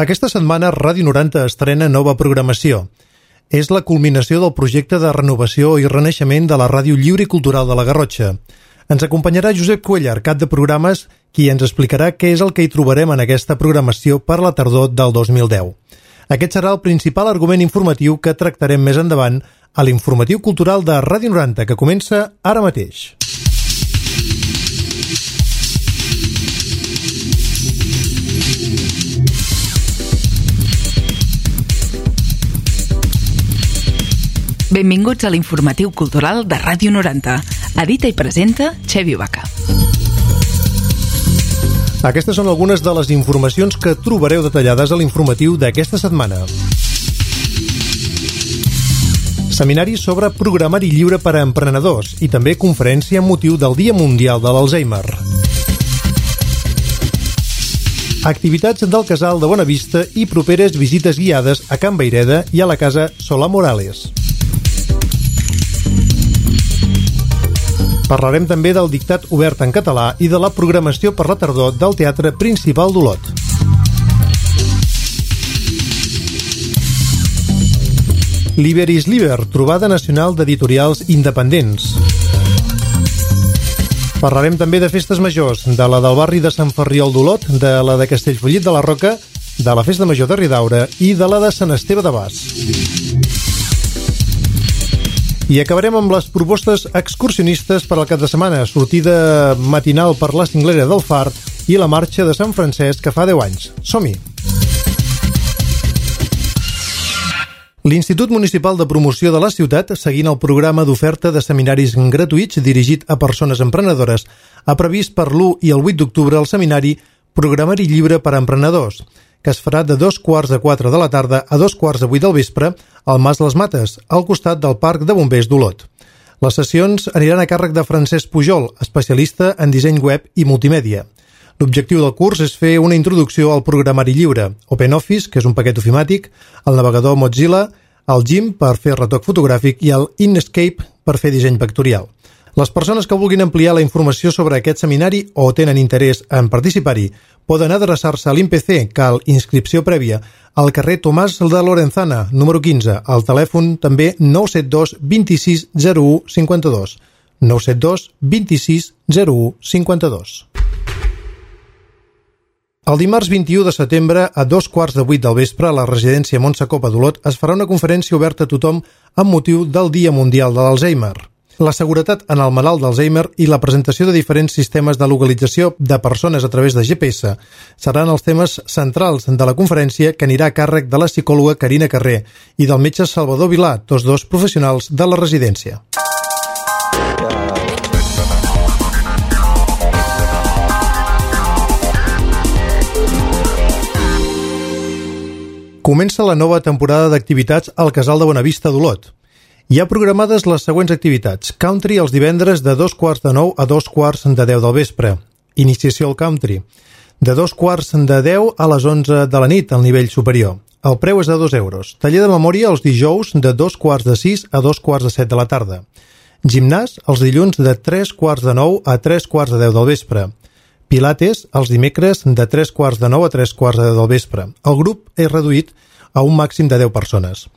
Aquesta setmana Ràdio 90 estrena nova programació. És la culminació del projecte de renovació i renaixement de la Ràdio Lliure i Cultural de la Garrotxa. Ens acompanyarà Josep Cuellar, cap de programes, qui ens explicarà què és el que hi trobarem en aquesta programació per la tardor del 2010. Aquest serà el principal argument informatiu que tractarem més endavant a l'informatiu cultural de Ràdio 90, que comença ara mateix. Benvinguts a l'informatiu cultural de Ràdio 90. Edita i presenta Xevi Vaca. Aquestes són algunes de les informacions que trobareu detallades a l'informatiu d'aquesta setmana. Seminari sobre programari lliure per a emprenedors i també conferència amb motiu del Dia Mundial de l'Alzheimer. Activitats del Casal de Bonavista i properes visites guiades a Can Vayreda i a la Casa Solà Morales. Parlarem també del dictat obert en català i de la programació per la tardor del Teatre Principal d'Olot. Liber is Liber, trobada nacional d'editorials independents. Parlarem també de festes majors, de la del barri de Sant Ferriol d'Olot, de la de Castellfollit de la Roca, de la Festa Major de Ridaura i de la de Sant Esteve de Bas. I acabarem amb les propostes excursionistes per al cap de setmana, sortida matinal per la Cinglera del Far i la marxa de Sant Francesc que fa 10 anys. Som-hi! L'Institut Municipal de Promoció de la Ciutat, seguint el programa d'oferta de seminaris gratuïts dirigit a persones emprenedores, ha previst per l'1 i el 8 d'octubre el seminari Programari Lliure per a Emprenedors, que es farà de 3:45 de la tarda a 7:45 del vespre al Mas Les Mates, al costat del Parc de Bombers d'Olot. Les sessions aniran a càrrec de Francesc Pujol, especialista en disseny web i multimèdia. L'objectiu del curs és fer una introducció al programari lliure, OpenOffice, que és un paquet ofimàtic, el navegador Mozilla, el GIMP per fer retoc fotogràfic i el Inkscape per fer disseny vectorial. Les persones que vulguin ampliar la informació sobre aquest seminari o tenen interès en participar-hi poden adreçar-se a l'IMPC, cal inscripció prèvia, al carrer Tomàs de Lorenzana, número 15, al telèfon també 972 26 01 52. 972 26 01 52. El dimarts 21 de setembre, a 7:15 del vespre, a la residència Montse Copa d'Olot es farà una conferència oberta a tothom amb motiu del Dia Mundial de l'Alzheimer. La seguretat en el malalt d'Alzheimer i la presentació de diferents sistemes de localització de persones a través de GPS seran els temes centrals de la conferència, que anirà a càrrec de la psicòloga Carina Carrer i del metge Salvador Vilà, tots dos professionals de la residència. Comença la nova temporada d'activitats al Casal de Bonavista d'Olot. Hi ha programades les següents activitats. Country els divendres de 8:45 a 9:10 del vespre. Iniciació al country. De 9:45 a les 11 de la nit al nivell superior. El preu és de 2 euros. Taller de memòria els dijous de 5:45 a 7:15 de la tarda. Gimnàs els dilluns de 8:45 a 9:15 del vespre. Pilates els dimecres de 8:45 a 9:15 del vespre. El grup és reduït a un màxim de 10 persones.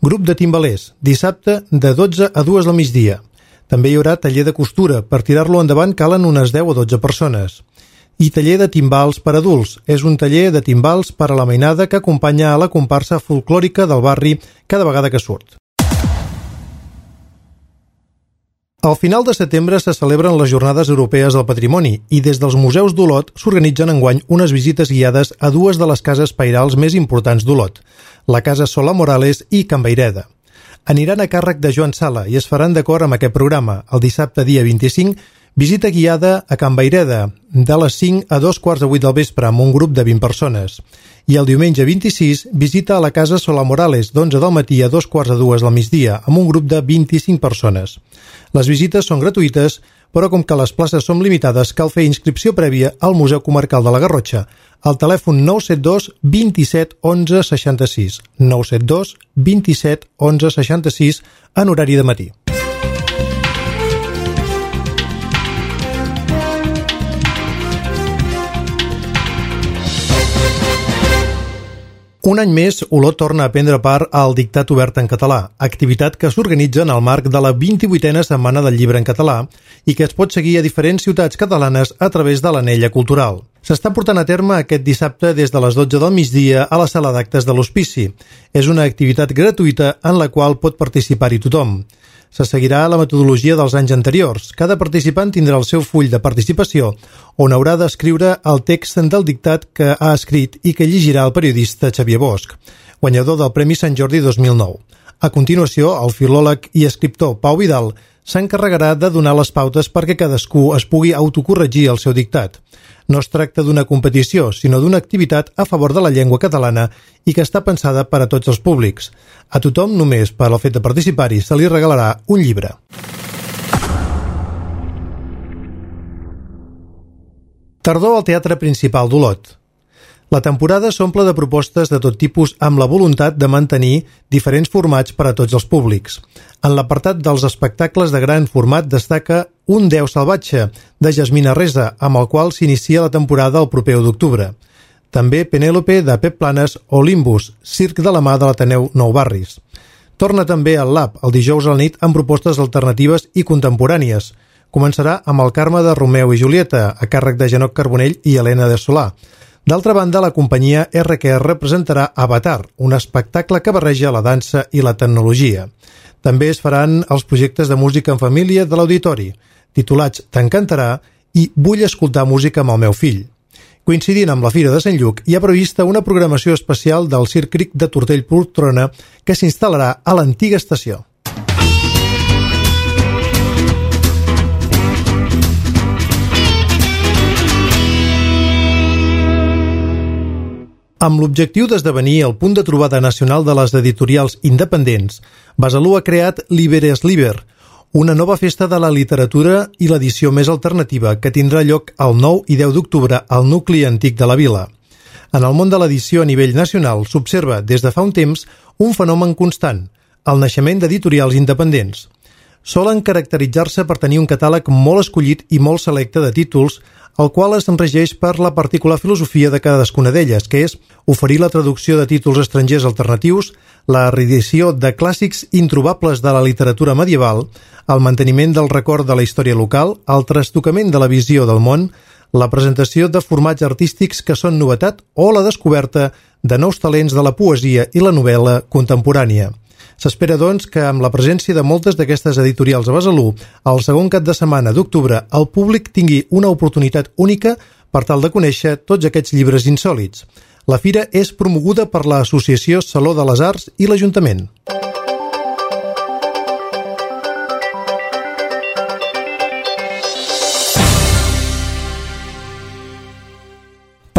Grup de timbalers, dissabte de 12 a 2 del migdia. També hi haurà taller de costura. Per tirar-lo endavant calen unes 10 o 12 persones. I taller de timbals per adults. És un taller de timbals per a la mainada que acompanya a la comparsa folclòrica del barri cada vegada que surt. Al final de setembre se celebren les Jornades Europees del Patrimoni i des dels museus d'Olot s'organitzen enguany unes visites guiades a dues de les cases pairals més importants d'Olot, la Casa Solà Morales i Can Vayreda. Aniran a càrrec de Joan Sala i es faran d'acord amb aquest programa. El dissabte, dia 25, visita guiada a Can Vayreda de les 5 a 2:15 del vespre amb un grup de 20 persones. I el diumenge 26, visita a la Casa Solà Morales d'11 del matí a 2:15 del migdia amb un grup de 25 persones. Les visites són gratuïtes, però com que les places són limitades, cal fer inscripció prèvia al Museu Comarcal de la Garrotxa, al telèfon 972 27 11 66, 972 27 11 66 en horari de matí. Un any més, Olot torna a prendre part al Dictat Obert en Català, activitat que s'organitza en el marc de la 28a Setmana del Llibre en Català i que es pot seguir a diferents ciutats catalanes a través de l'Anella Cultural. S'està portant a terme aquest dissabte des de les 12 del migdia a la sala d'actes de l'Hospici. És una activitat gratuïta en la qual pot participar-hi tothom. Se seguirà la metodologia dels anys anteriors. Cada participant tindrà el seu full de participació on haurà d'escriure el text del dictat que ha escrit i que llegirà el periodista Xavier Bosch, guanyador del Premi Sant Jordi 2009. A continuació, el filòleg i escriptor Pau Vidal s'encarregarà de donar les pautes perquè cadascú es pugui autocorregir el seu dictat. No es tracta d'una competició, sinó d'una activitat a favor de la llengua catalana i que està pensada per a tots els públics. A tothom, només per al fet de participar-hi, se li regalarà un llibre. Tardor al Teatre Principal d'Olot. La temporada s'omple de propostes de tot tipus amb la voluntat de mantenir diferents formats per a tots els públics. En l'apartat dels espectacles de gran format destaca Un Déu salvatge, de Jasmina Resa, amb el qual s'inicia la temporada el proper 1 d'octubre. També Penèlope, de Pep Planes, o Limbus, circ de la mà de l'Ateneu Nou Barris. Torna també al Lab, el dijous a la nit, amb propostes alternatives i contemporànies. Començarà amb el Carme de Romeu i Julieta, a càrrec de Genoc Carbonell i Helena de Solà. D'altra banda, la companyia RQR presentarà Avatar, un espectacle que barreja la dansa i la tecnologia. També es faran els projectes de música en família de l'Auditori, titulats T'encantarà i Vull escoltar música amb el meu fill. Coincidint amb la Fira de Sant Lluc, hi ha prevista una programació especial del Circ Cric de Tortell-Poltrona que s'instal·larà a l'antiga estació. Amb l'objectiu d'esdevenir el punt de trobada nacional de les editorials independents, Besalú ha creat Liber, una nova festa de la literatura i l'edició més alternativa que tindrà lloc el 9 i 10 d'octubre al nucli antic de la vila. En el món de l'edició a nivell nacional s'observa des de fa un temps un fenomen constant, el naixement d'editorials independents. Solen caracteritzar-se per tenir un catàleg molt escollit i molt selecte de títols, el qual es regeix per la particular filosofia de cadascuna d'elles, que és oferir la traducció de títols estrangers alternatius, la reedició de clàssics introbables de la literatura medieval, el manteniment del record de la història local, el trastocament de la visió del món, la presentació de formats artístics que són novetat o la descoberta de nous talents de la poesia i la novel·la contemporània. S'espera, doncs, que amb la presència de moltes d'aquestes editorials a Besalú, el segon cap de setmana d'octubre el públic tingui una oportunitat única per tal de conèixer tots aquests llibres insòlits. La fira és promoguda per l'Associació Saló de les Arts i l'Ajuntament.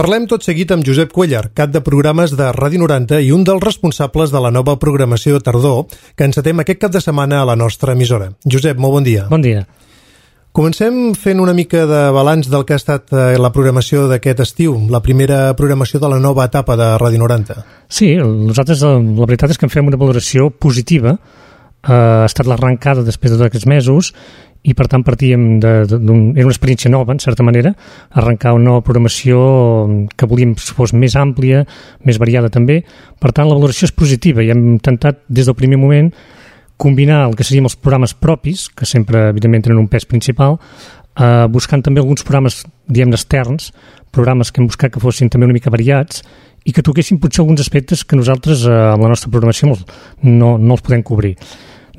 Parlem tot seguit amb Josep Cuellar, cap de programes de Ràdio 90 i un dels responsables de la nova programació de tardor que encetem aquest cap de setmana a la nostra emissora. Josep, molt bon dia. Bon dia. Comencem fent una mica de balanç del que ha estat la programació d'aquest estiu, la primera programació de la nova etapa de Ràdio 90. Sí, nosaltres la veritat és que en fem una valoració positiva. Ha estat l'arrencada després de tots aquests mesos i per tant partíem era una experiència nova, en certa manera, arrencar una nova programació que volíem que fos més àmplia, més variada també. Per tant, la valoració és positiva i hem intentat des del primer moment combinar el que serien els programes propis, que sempre evidentment tenen un pes principal, buscant també alguns programes, diguem, externs, programes que hem buscat que fossin també una mica variats i que toquessin potser alguns aspectes que nosaltres amb la nostra programació no els podem cobrir.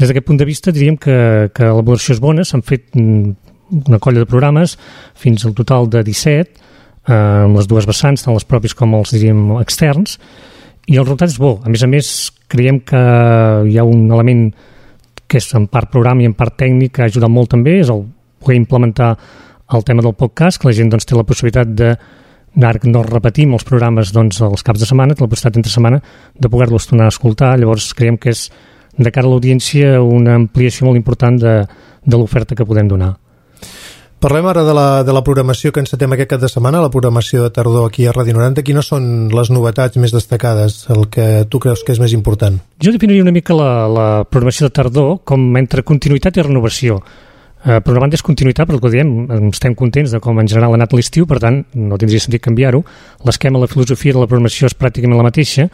Des d'aquest punt de vista diríem que la valoració és bona, s'han fet una colla de programes fins al total de 17, amb les dues vessants, tant les propis com els, diríem, externs, i el resultat és bo. A més, creiem que hi ha un element que és en part programa i en part tècnic que ha ajudat molt també, és el poder implementar el tema del podcast, que la gent doncs, té la possibilitat de, ara que no repetim els programes doncs, els caps de setmana, té la possibilitat entre setmana de poder-los tornar a escoltar. Llavors creiem que és de cara a l'audiència una ampliació molt important de l'oferta que podem donar. Parlem ara de la programació que encetem aquest cap de setmana, la programació de tardor aquí a Ràdio 90. Quines són les novetats més destacades, el que tu creus que és més important? Jo definiria una mica la programació de tardor com entre continuïtat i renovació. Per una banda és continuïtat, però el que diem, estem contents de com en general ha anat l'estiu, per tant no tindria sentit canviar-ho. L'esquema, la filosofia de la programació és pràcticament la mateixa,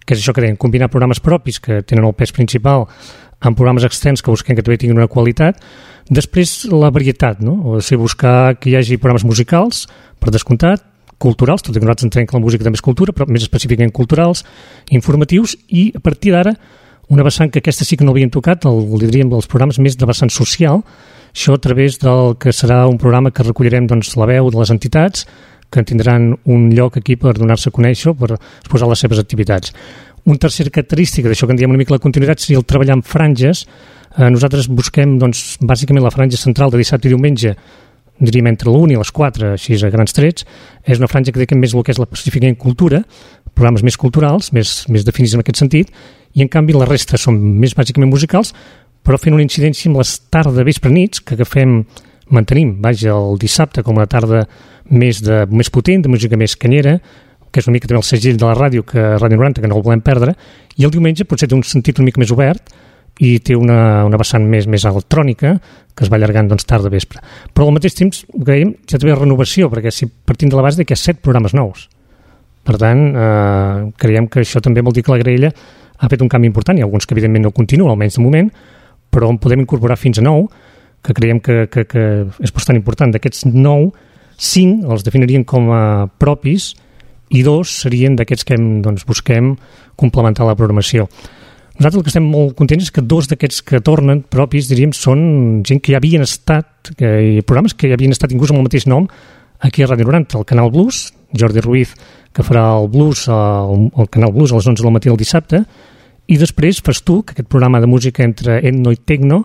que és això que dèiem, combinar programes propis que tenen el pes principal amb programes externs que busquem que també tinguin una qualitat. Després la varietat, no? O sigui, buscar que hi hagi programes musicals, per descomptat, culturals, tot i que nosaltres entenem que la música també és cultura, però més específicament culturals, informatius, i a partir d'ara una vessant que aquesta sí que no havíem tocat, diríem dels programes més de vessant social, això a través del que serà un programa que recollirem doncs, la veu de les entitats que tindran un lloc aquí per donar-se a conèixer, per exposar les seves activitats. Una tercera característica d'això que en diem una mica la continuïtat seria el treballar en franges. Nosaltres busquem doncs, bàsicament la franja central de dissabte i diumenge, diríem entre l'1 i les 4, així a grans trets. És una franja que dediquem més el que és la específica en cultura, programes més culturals, més definits en aquest sentit, i en canvi la resta són més bàsicament musicals, però fent una incidència amb les tarda vespre nits que mantenim, el dissabte com una tarda més potent, de música més canyera, que és una mica també el segell de la ràdio, Ràdio 90, que no el volem perdre, i el diumenge potser té un sentit una mica més obert i té una vessant més electrònica que es va allargant doncs, tarda vespre. Però al mateix temps, creiem, ja també renovació, perquè si partim de la base que hi ha 7 programes nous. Per tant, creiem que això també vol dir que la graella ha fet un canvi important. Hi ha alguns que evidentment no continuen, almenys de moment, però en podem incorporar fins a 9, que creiem que és bastant important. D'aquests 9, 5 els definiríem com a propis i 2 serien d'aquests que busquem complementar la programació. Nosaltres el que estem molt contents és que 2 d'aquests que tornen propis, diríem, són gent que ja havien estat, programes que ja havien estat inclús amb el mateix nom aquí a Ràdio 90, el Canal Blues, Jordi Ruiz, que farà el blues, el Canal Blues a les 11 del matí del dissabte, i després fas tu, que aquest programa de música entre etno i tecno,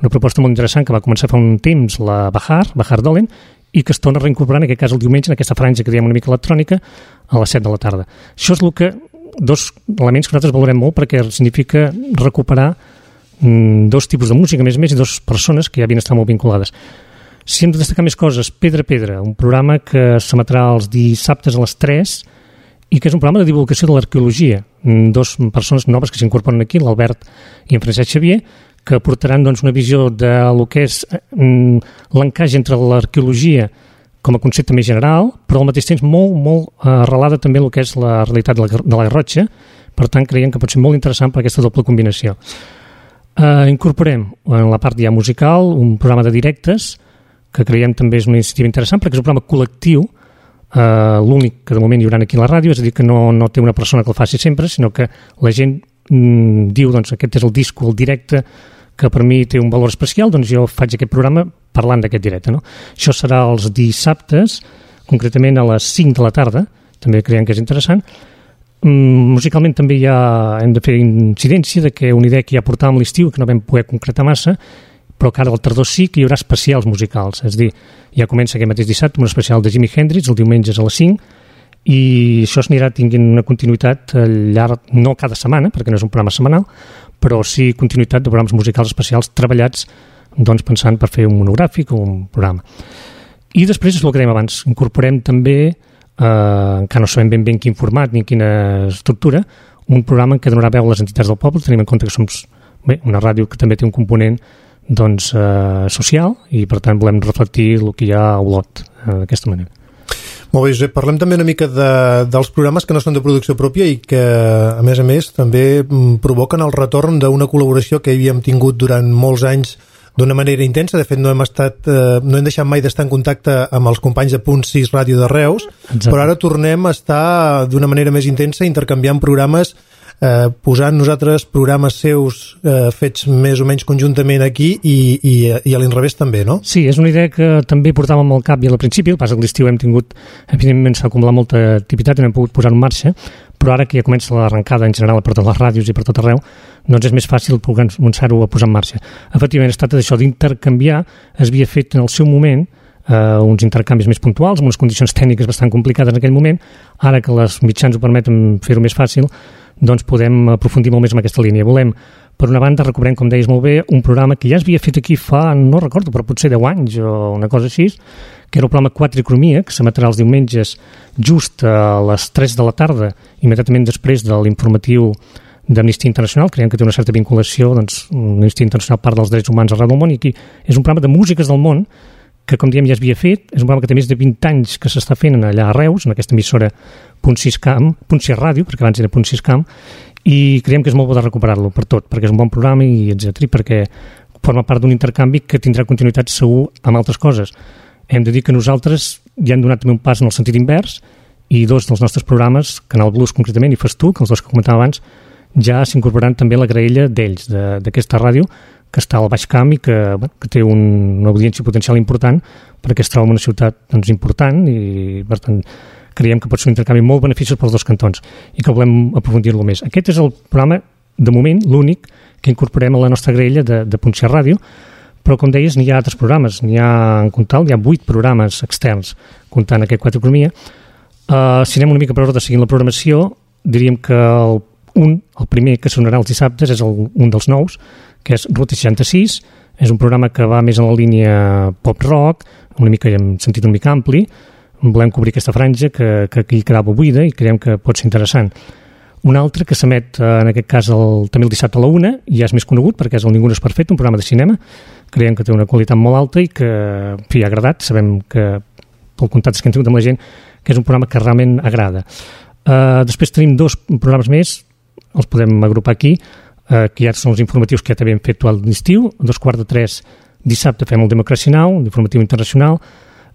una proposta molt interessant que va començar fa un temps, la Bahar Dolen, i que es torna a reincorporar, en aquest cas el diumenge, en aquesta franja que diem una mica electrònica, a les 7 de la tarda. Això és el que, 2 elements que nosaltres valorem molt, perquè significa recuperar 2 tipus de música, més i 2 persones que ja havien estat molt vinculades. Si hem de destacar més coses, Pedra, un programa que s'emetrà els dissabtes a les 3, i que és un programa de divulgació de l'arqueologia. 2 persones noves que s'incorporen aquí, l'Albert i en Francesc Xavier, que aportaran una visió de lo que és l'encaix entre l'arqueologia com a concepte més general, però al mateix temps molt arrelada també en el que és la realitat de la Garrotxa. Per tant, creiem que pot ser molt interessant per aquesta doble combinació. Incorporem en la part ja musical un programa de directes, que creiem també és una iniciativa interessant, perquè és un programa col·lectiu, l'únic que de moment hi haurà aquí a la ràdio, és a dir, que no té una persona que el faci sempre, sinó que la gent diu, aquest és el disco, el directe, que per mi té un valor especial, doncs jo faig aquest programa parlant d'aquest directe. No? Això serà els dissabtes, concretament a les 5 de la tarda, també creiem que és interessant. Musicalment també hem de fer incidència de que una idea que ja portàvem l'estiu, que no vam poder concretar massa, però que ara al tardor sí que hi haurà especials musicals, és a dir, ja comença aquest mateix dissabte un especial de Jimi Hendrix, el diumenge a les 5, i això s'anirà tinguent una continuïtat al llarg, no cada setmana, perquè no és un programa setmanal, però sí continuïtat de programes musicals especials treballats pensant per fer un monogràfic o un programa. I després és el que dèiem abans, incorporem també, encara no sabem ben quin format ni quina estructura, un programa en què donarà veu a les entitats del poble. Tenim en compte que som una ràdio que també té un component social, i per tant volem reflectir el que hi ha a Olot d'aquesta manera. Molt bé, Josep, parlem també una mica dels programes que no són de producció pròpia i que a més també provoquen el retorn d'una col·laboració que havíem tingut durant molts anys d'una manera intensa. De fet, no hem deixat mai d'estar en contacte amb els companys de Punt 6 Ràdio de Reus. Exacte. Però ara tornem a estar d'una manera més intensa intercanviant programes, posant nosaltres programes seus fets més o menys conjuntament aquí i a l'inrevés també, no? Sí, és una idea que també portàvem al cap i al principi. El que passa que l'estiu hem tingut, evidentment s'ha acumulat molta activitat i no hem pogut posar en marxa, però ara que ja comença l'arrencada en general per totes les ràdios i per tot arreu, doncs és més fàcil començar-ho a posar en marxa. Efectivament, es tracta d'això, d'intercanviar. Es havia fet en el seu moment uns intercanvis més puntuals, amb unes condicions tècniques bastant complicades en aquell moment. Ara que els mitjans ho permeten fer-ho més fàcil, doncs podem aprofundir molt més en aquesta línia. Volem, per una banda, recuperem, com deies molt bé, un programa que ja es havia fet aquí fa, no recordo, però potser 10 anys o una cosa així, que era el programa Quatricromia, que s'emetrà els diumenges just a les 3 de la tarda, immediatament després de l'informatiu d'Amnistia Internacional. Creiem que té una certa vinculació, doncs, Amnistia Internacional part dels drets humans arreu del món, i aquí és un programa de músiques del món que, com diem, ja s'havia fet. És un programa que té més de 20 anys que s'està fent allà a Reus, en aquesta emissora Punt 6 Ràdio, perquè abans era Punt 6 Camp, i creiem que és molt bo de recuperar-lo per tot, perquè és un bon programa, i etcètera, perquè forma part d'un intercanvi que tindrà continuïtat segur amb altres coses. Hem de dir que nosaltres ja hem donat també un pas en el sentit invers, i dos dels nostres programes, Canal Blues concretament i Fas tu, que els dos que comentava abans, ja s'incorporaran també a la graella d'ells, d'aquesta ràdio, que està al Baix Camp i que té una audiència potencial important, perquè es troba en una ciutat doncs, important, i per tant creiem que pot ser un intercanvi molt beneficiós pels dos cantons i que volem aprofundir-lo més. Aquest és el programa, de moment, l'únic que incorporem a la nostra graella de Punt 6 Ràdio, però com deies, n'hi ha altres programes, n'hi ha 8 programes externs comptant aquest 4 Economia. Si anem una mica per ordre seguint la programació, diríem que el primer que sonarà els dissabtes és un dels nous, que és Ruta 66, és un programa que va més en la línia pop-rock, una mica en sentit una mica ampli. Volem cobrir aquesta franja que aquí quedava buida i creiem que pot ser interessant. Un altre que s'emet, en aquest cas, també el dissabte a la 1, ja és més conegut perquè és el Ningú no és perfecte, un programa de cinema. Creiem que té una qualitat molt alta i que, en fi, ha agradat. Sabem que, pel contacte que hem tingut amb la gent, que és un programa que realment agrada. Després tenim 2 programes més, els podem agrupar aquí, que ja són els informatius que ja també hem fet a l'estiu. A 2:45 dissabte fem el Democracy Now!, l'informatiu internacional,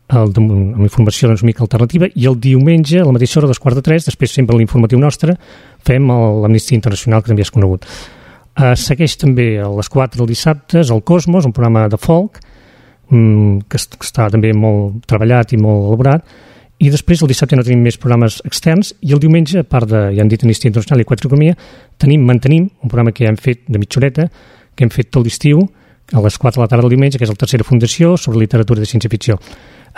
amb informació doncs, mica alternativa, i el diumenge, a la mateixa hora, a 2:45, després sempre l'informatiu nostre, fem l'Amnistia Internacional, que també és conegut. Segueix també a les 4 del dissabte el Cosmos, un programa de folk, que està també molt treballat i molt elaborat, i després el dissabte no tenim més programes externs, i el diumenge, a part de, ja hem dit, Amnistia Internacional i 4 Economia, mantenim un programa que ja hem fet de mitja horeta, que hem fet tot l'estiu, a les 4 de la tarda del diumenge, que és la Tercera Fundació sobre literatura de ciència-ficció.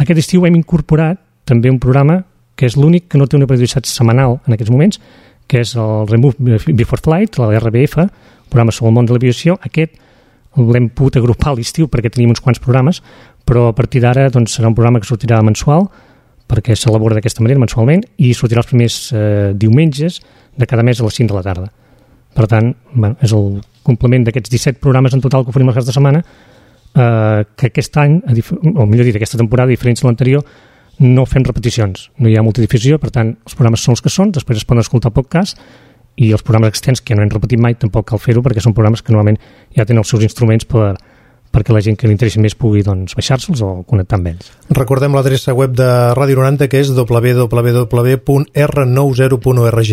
Aquest estiu hem incorporat també un programa que és l'únic que no té una periodicitat setmanal en aquests moments, que és el Remove Before Flight, la RBF, un programa sobre el món de l'aviació. Aquest l'hem pogut agrupar a l'estiu perquè teníem uns quants programes, però a partir d'ara doncs, serà un programa que sortirà mensual, perquè s'elabora d'aquesta manera mensualment, i sortirà els primers diumenges de cada mes a les 5 de la tarda. Per tant, és el complement d'aquests 17 programes en total que oferim els caps de setmana, que aquest any, o millor dit, aquesta temporada, a diferència de l'anterior, no fem repeticions, no hi ha multidifusió, per tant, els programes són els que són, després es poden escoltar podcast, i els programes externs que no hem repetit mai tampoc cal fer-ho, perquè són programes que normalment ja tenen els seus instruments perquè la gent que li interessi més pugui doncs, baixar-se'ls o connectar amb ells. Recordem l'adreça web de Ràdio 90, que és www.r90.org.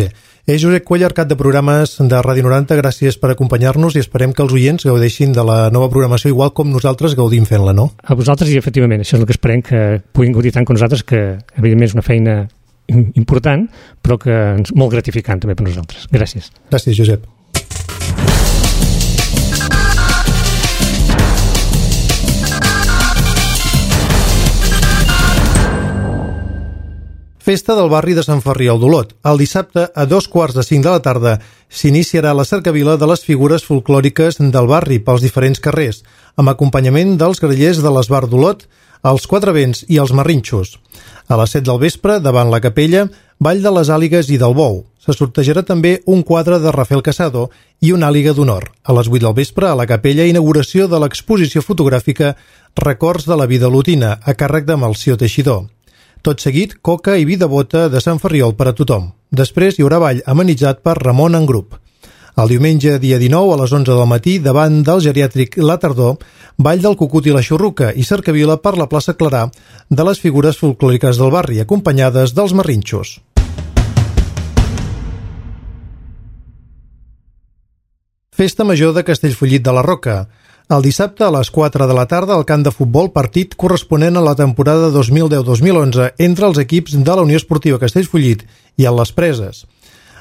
Josep Cuellar, cap de programes de Ràdio 90, gràcies per acompanyar-nos i esperem que els oients gaudeixin de la nova programació igual com nosaltres gaudim fent-la, no? A vosaltres, i efectivament, això és el que esperem, que puguin gaudir tant com nosaltres, que evidentment és una feina important, però que és molt gratificant també per nosaltres. Gràcies. Gràcies, Josep. Festa del barri de Sant Ferriol d'Olot. El dissabte, a 2:45 de la tarda, s'iniciarà la cercavila de les figures folclòriques del barri pels diferents carrers, amb acompanyament dels grallers de l'Esbar d'Olot, els Quatre Vents i els Marrinxos. A les 7 del vespre, davant la capella, ball de les àligues i del bou. Se sortejarà també un quadre de Rafael Casado i una àliga d'honor. A les 8 del vespre, a la capella, inauguració de l'exposició fotogràfica Records de la vida olotina, a càrrec de Melcior Teixidor. Tot seguit, coca i vi de bota de Sant Ferriol per a tothom. Després hi haurà ball amenitzat per Ramon en grup. El diumenge, dia 19, a les 11 del matí, davant del geriàtric La Tardor, ball del cucut i la xurruca i cercavila per la plaça Clarà de les figures folclòriques del barri, acompanyades dels Marrinxos. Festa Major de Castellfollit de la Roca. El dissabte a les 4 de la tarda al camp de futbol, partit corresponent a la temporada 2010-2011 entre els equips de la Unió Esportiva Castellfollit i el Les Preses.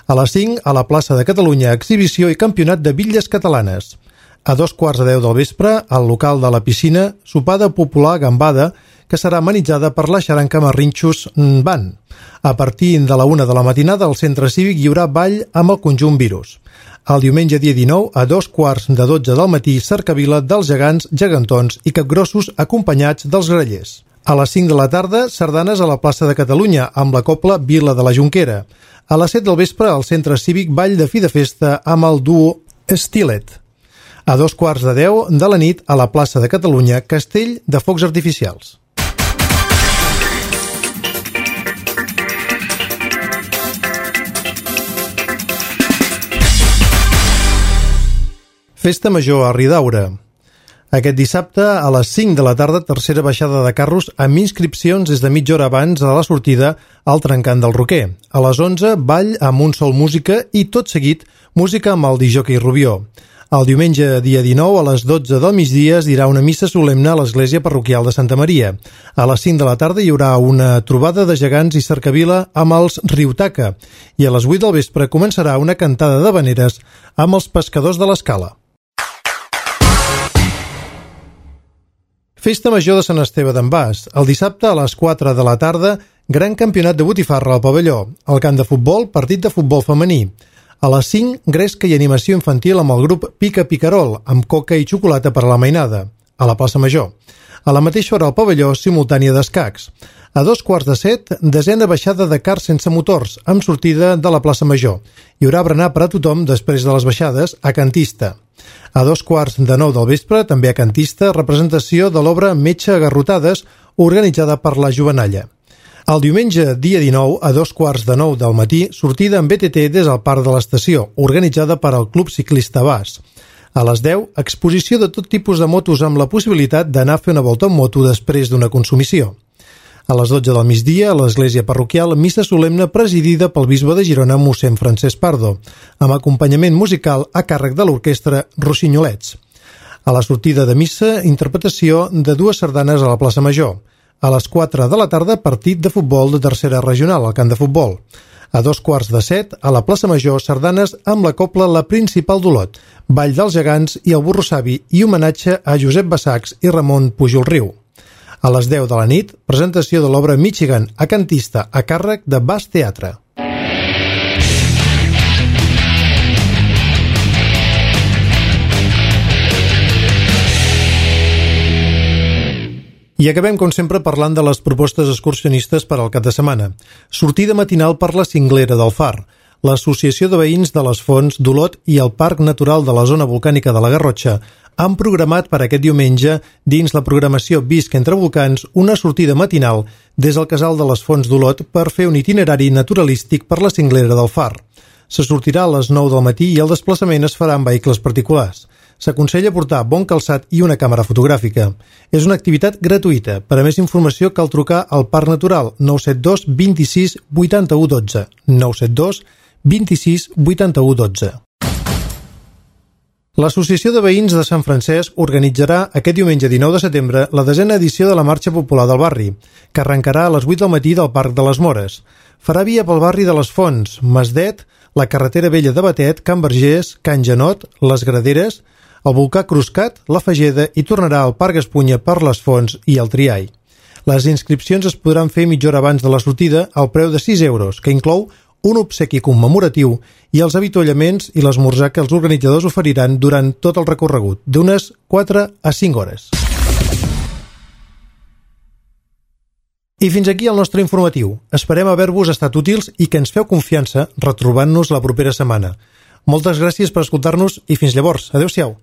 A les 5, a la plaça de Catalunya, exhibició i campionat de bitlles catalanes. A 2:15 del vespre, al local de la piscina, sopada popular gambada, que serà amenitzada per la xaranca Marrinxos Band. A partir de la 1 de la matinada, al centre cívic hi haurà ball amb el conjunt Virus. El diumenge, dia 19, a 2:15 del matí, cercavila dels gegants, gegantons i capgrossos acompanyats dels grallers. A les 5 de la tarda, sardanes a la plaça de Catalunya, amb la cobla Vila de la Jonquera. A les 7 del vespre, al centre cívic, ball de fi de festa amb el duo Stilet. A 9:45 de la nit, a la plaça de Catalunya, castell de focs artificials. Festa Major a Ridaura. Aquest dissabte, a les 5 de la tarda, tercera baixada de carros amb inscripcions des de mitja hora abans a la sortida al trencant del Roquer. A les 11, ball amb un sol música i, tot seguit, música amb el disjockey Rubió. El diumenge, dia 19, a les 12 del migdia, es dirà una missa solemne a l'església parroquial de Santa Maria. A les 5 de la tarda hi haurà una trobada de gegants i cercavila amb els Riutaca. I a les 8 del vespre començarà una cantada d'havaneres amb els pescadors de l'Escala. Festa Major de Sant Esteve d'en Bas. El dissabte a les 4 de la tarda, gran campionat de botifarra al pavelló. Al camp de futbol, partit de futbol femení. A les 5, gresca i animació infantil amb el grup Pica Picarol, amb coca i xocolata per a la mainada, a la plaça Major. A la mateixa hora al pavelló, simultània d'escacs. A 6:45, desena baixada de cars sense motors, amb sortida de la plaça Major. Hi haurà berenar per a tothom després de les baixades a Cantista. A 8:45 del vespre, també a Cantista, representació de l'obra Metge a garrotades, organitzada per la Jovenalla. El diumenge, dia 19, a 8:45 del matí, sortida en BTT des del Parc de l'Estació, organitzada per al Club Ciclista Bas. A les 10, exposició de tot tipus de motos amb la possibilitat d'anar a fer una volta en moto després d'una consumició. A les 12 del migdia, a l'església parroquial, missa solemne presidida pel bisbe de Girona, mossèn Francesc Pardo, amb acompanyament musical a càrrec de l'orquestra Rossinyolets. A la sortida de missa, interpretació de 2 sardanes a la plaça Major. A les 4 de la tarda, partit de futbol de tercera regional al camp de futbol. A 6:45, a la plaça Major, sardanes amb la cobla La Principal d'Olot, Ball dels Gegants i el Burro Savi i homenatge a Josep Bassacs i Ramon Pujol Riu. A les 10 de la nit, presentació de l'obra Michigan a Cantista a càrrec de Bas Teatre. I acabem, com sempre, parlant de les propostes excursionistes per al cap de setmana. Sortida matinal per la Cinglera del Far. L'Associació de Veïns de les Fonts d'Olot i el Parc Natural de la Zona Volcànica de la Garrotxa han programat per aquest diumenge, dins la programació Visc entre Volcans, una sortida matinal des del Casal de les Fonts d'Olot per fer un itinerari naturalístic per la Cinglera del Far. Se sortirà a les 9 del matí i el desplaçament es farà en vehicles particulars. S'aconsella portar bon calçat i una càmera fotogràfica. És una activitat gratuïta. Per a més informació cal trucar al Parc Natural 972 26 81 12. 972 26 81 12. L'Associació de Veïns de Sant Francesc organitzarà aquest diumenge 19 de setembre la 10a edició de la Marxa Popular del Barri, que arrencarà a les 8 del matí del Parc de les Mores. Farà via pel barri de les Fonts, Masdet, la carretera vella de Batet, Can Vergés, Can Janot, les Graderes, el volcà Cruscat, la Fageda i tornarà al Parc Espunya per les Fonts i el Triai. Les inscripcions es podran fer mitja hora abans de la sortida al preu de 6 euros, que inclou un obsequi commemoratiu i els avituallaments i l'esmorzar que els organitzadors oferiran durant tot el recorregut, d'unes 4 a 5 hores. I fins aquí el nostre informatiu. Esperem haver-vos estat útils i que ens feu confiança retrobant-nos la propera setmana. Moltes gràcies per escoltar-nos i fins llavors. Adéu-siau.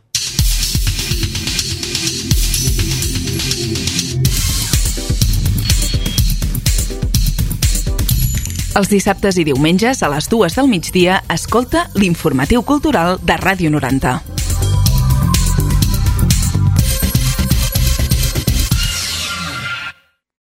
Els dissabtes i diumenges a les 2 del migdia escolta l'Informatiu Cultural de Ràdio 90.